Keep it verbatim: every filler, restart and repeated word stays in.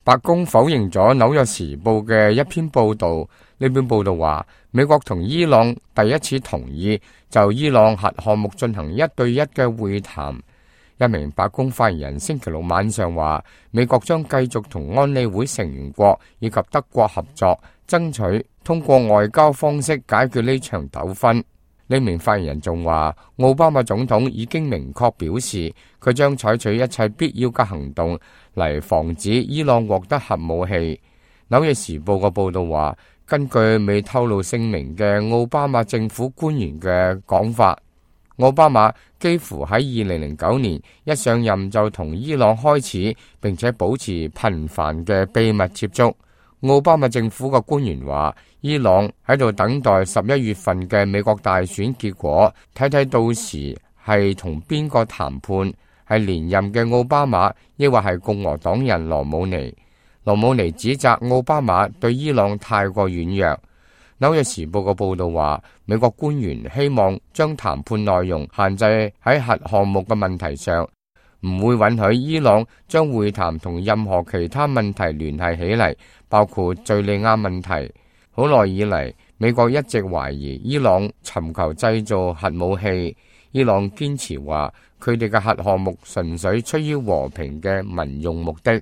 白宮否認咗《紐約時報》嘅一篇報道，呢篇報道話，美國同伊朗第一次同意就伊朗核項目進行一對一嘅會談。一名白宮發言人星期六晚上話，美國將繼續同安理會成員國以及德國合作，爭取通過外交方式解決呢場糾紛。呢名發言人仲話，奧巴馬總統已經明確表示，佢將採取一切必要嘅行動嚟防止伊朗獲得核武器。紐約時報嘅報道話，根據未透露姓名嘅奧巴馬政府官員嘅講法，奧巴馬幾乎喺二零零九年一上任就同伊朗開始並且保持頻繁嘅秘密接觸。奧巴馬政府嘅官員話，伊朗喺度等待十一月份嘅美國大選結果，睇睇到時係同邊個談判，係連任嘅奧巴馬，抑或係共和黨人羅姆尼。羅姆尼指責奧巴馬對伊朗太過軟弱。紐約時報嘅報道話，美國官員希望將談判內容限制喺核項目嘅問題上，唔會允許伊朗將會談同任何其他問題聯繫起嚟，包括敘利亞問題。好耐以嚟，美國一直懷疑伊朗尋求製造核武器。伊朗堅持話，佢哋嘅核項目純粹出於和平嘅民用目的。